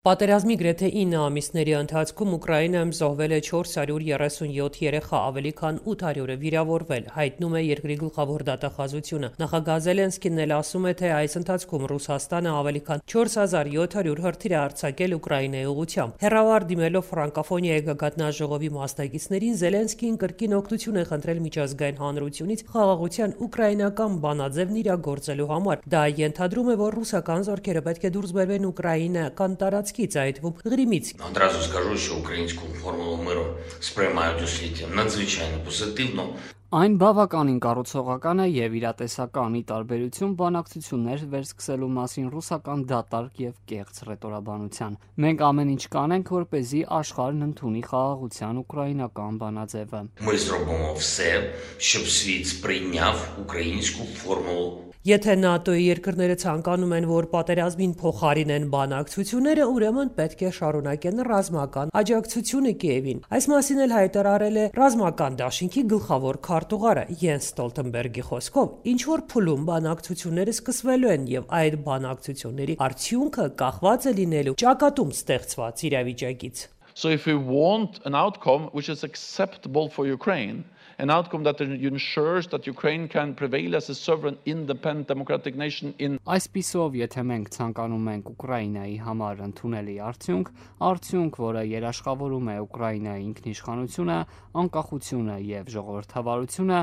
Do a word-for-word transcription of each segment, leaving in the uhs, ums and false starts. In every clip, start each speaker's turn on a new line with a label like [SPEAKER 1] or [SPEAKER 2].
[SPEAKER 1] Պատերազմի գրեթե ինը ամիսների ընթացքում Ուկրաինայում զոհվել է չորս հարյուր երեսունյոթ երեխա, ավելի քան ութ հարյուրը վիրավորվել, հայտնում է երկրի գլխավոր դատախազությունը։ Նախագահ Զելենսկին էլ ասում է, թե այս ընթացքում Ռուսաստանը ավելի քան չորս հազար յոթ հարյուր հրթիռ է արձակել Ուկրաինայի ուղղությամբ։ Հեռավար դիմելով ֆրանկոֆոնիայի գագաթնաժողովի մասնակիցներին, Զելենսկին կրկին օգնություն է խնդրել միջազգային հանրությունից խաղաղության ուկրաինական բանաձևն իրագործելու համար։ Դա ենթադրում է, որ ռուսական զորքերը պետք է դուրս բերվեն ուկրաինական տարածքից, Гримից.
[SPEAKER 2] Одразу скажу, що українську формулу миру сприймають у світі надзвичайно позитивно.
[SPEAKER 3] Այն բավականին կառուցողական է եւ իրատեսական ի տարբերություն բանակցություններ վերսկսելու մասին ռուսական դատարկ եւ կեղծ ռետորաբանության։ Մենք ամեն ինչ կանենք, որպեսզի աշխարհն ընդունի խաղաղության ուկրաինական բանաձևը։
[SPEAKER 2] Ми зробимо все, щоб світ сприйняв українську формулу.
[SPEAKER 1] Եթե ՆԱՏՕ-ի երկրները ցանկանում են, որ պատերազմին փոխարինեն բանակցությունները, ուրեմն պետք է շարունակեն ռազմական աջակցությունը Կիևին։ Այս մասին էլ հայտարարել է ռազմական դաշինքի գլխավոր քարտուղարը Յենս Ստոլտենբերգի խոսքով, ինչ որ փուլում բանակցությունները սկսվելու են եւ այդ բանակցությունների արդյունքը կախված է լինելու ճակատում ստեղծված իրավիճակից։
[SPEAKER 4] So if we want an outcome which is acceptable for Ukraine, an outcome that ensures that Ukraine can prevail as a sovereign, independent, democratic nation in
[SPEAKER 3] Այսպիսով, եթե մենք ցանկանում ենք Ուկրաինայի համար ընդունելի արդյունք, արդյունք, որը երաշխավորում է Ուկրաինայի ինքնիշխանությունը, անկախությունը եւ ժողովրդավարությունը,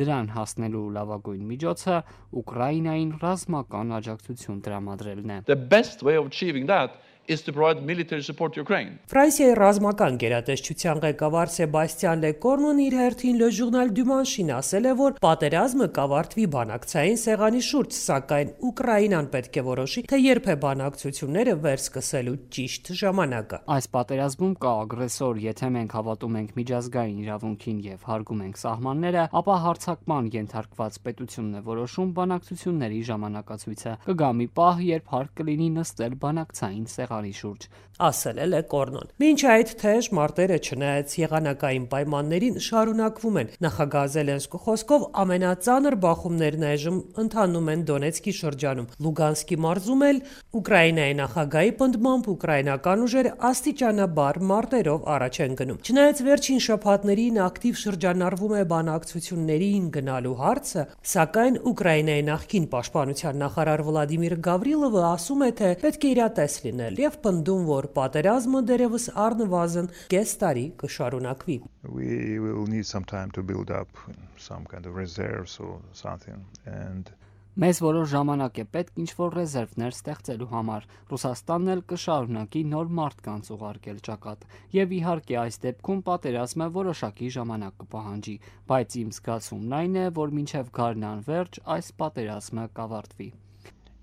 [SPEAKER 3] դրան հասնելու լավագույն միջոցը Ուկրաինային ռազմական աջակցություն տրամադրելն է։
[SPEAKER 4] The best way of achieving that is to provide military support to Ukraine.
[SPEAKER 1] Ֆրանսիայի ռազմական գերատեսչության ղեկավար Սեբաստիան Լեկորնոն իր հերթին Le Journal du Manche-ին ասել է, որ պատերազմը կավարտվի բանակցային սեղանի շուրջ, սակայն Ուկրաինան պետք է որոշի, թե երբ է բանակցությունները վերսկսելու ճիշտ ժամանակը։
[SPEAKER 3] Այս պատերազմում կա ագրեսոր, եթե մենք հավատում ենք միջազգային իրավունքին եւ հարգում ենք սահմանները, ապա հարձակման ենթարկված պետությունն է որոշում բանակցությունների ժամանակացույցը։ Կգա մի պահ, երբ հարկ կլինի նստել բանակցային սեղանի շուրջ,
[SPEAKER 1] ասել է Լեկորնոն։ Մինչ այդ թեժ մարտերը չնայած եղանակային պայմաններին շարունակվում են։ Նախագահ Զելենսկու խոսքով ամենածանր բախումներն այժմ ընթանում են Դոնեցկի շրջանում։ Լուգանսկի մարզում էլ Ուկրաինայի նախագահի պնդմամբ ուկրաինական ուժերը աստիճանաբար մարտերով առաջ են գնում։ Չնայած վերջին շաբաթներին ակտիվ շրջանառվում է բանակցություններին գնալու հարցը, սակայն Ուկրաինայի նախկին պաշտպանության նախարար Վլադիմիր Գավրիլովը ասում է, թե պետք է իրատես լինել եւ պնդում, որ պատերազմը դերևս առնվազն կես տարի կշարունակվի։
[SPEAKER 5] We will need some time to build up some kind of reserves or something and
[SPEAKER 3] Մեզ որոշ ժամանակ է պետք ինչ-որ ռեզերվներ ստեղծելու համար։ Ռուսաստանն էլ կշարունակի նոր մարդկանց ուղարկել ճակատ։ Եվ իհարկե այս դեպքում պատերազմը որոշակի ժամանակ կպահանջի, բայց իմ զգացումն այն է, որ մինչև գարնան վերջ այս պատերազմը կավարտվի։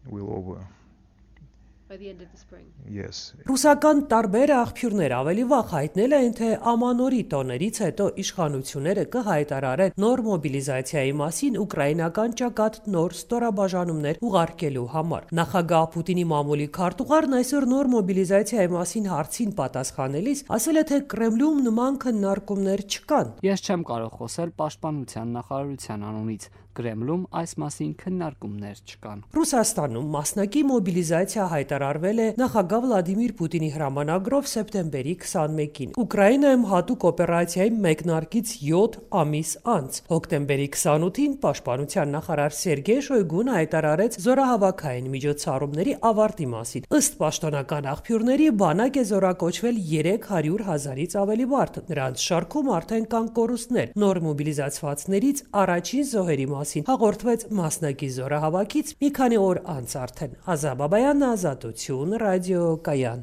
[SPEAKER 5] will over
[SPEAKER 6] by the end of the spring.
[SPEAKER 5] Yes.
[SPEAKER 1] Ռուսական տարբեր աղբյուրներ ավելի վաղ հայտնել են, թե ամանորի տոներից հետո իշխանությունները կհայտարարեն նոր մոբիլիզացիայի մասին ուկրաինական ճակատ նոր ստորաբաժանումներ ուղարկելու համար։ Նախագահ Պուտինի մամուլի քարտուղարն այսօր նոր մոբիլիզացիայի մասին հարցին պատասխանելիս ասել է, թե Կրեմլում նման քննարկումներ չկան։
[SPEAKER 3] Ես չեմ կարող խոսել պաշտպանության նախարարության անունից։ Կրեմլում այս մասին քննարկումներ չկան։
[SPEAKER 1] Ռուսաստանում մասնակի մոբիլիզացիա հայտարարվել է նախագահ Վլադիմիր Պուտինի հրամանագրով սեպտեմբերի քսանմեկին։ Ուկրաինայում հատուկ օպերացիայի մեկնարկից յոթ ամիս անց հոկտեմբերի քսանութին պաշտպանության նախարար Սերգեյ Շոյգուն հայտարարեց զորահավաքային միջոցառումների ավարտի մասին։ Ըստ պաշտոնական աղբյուրների բանակ է զորակոչվել երեք հարյուր հազարից ավելի մարդ։ Նրանց շարքում արդեն կան կորուստներ։ Նոր մոբիլիզացվածներից առաջին զոհերի մասին հաղորդվեց մասնակի զորահավաքից մի քանի օր անց արդեն։ Ազա Բաբայան, Ազատություն, ռադիո Կայան։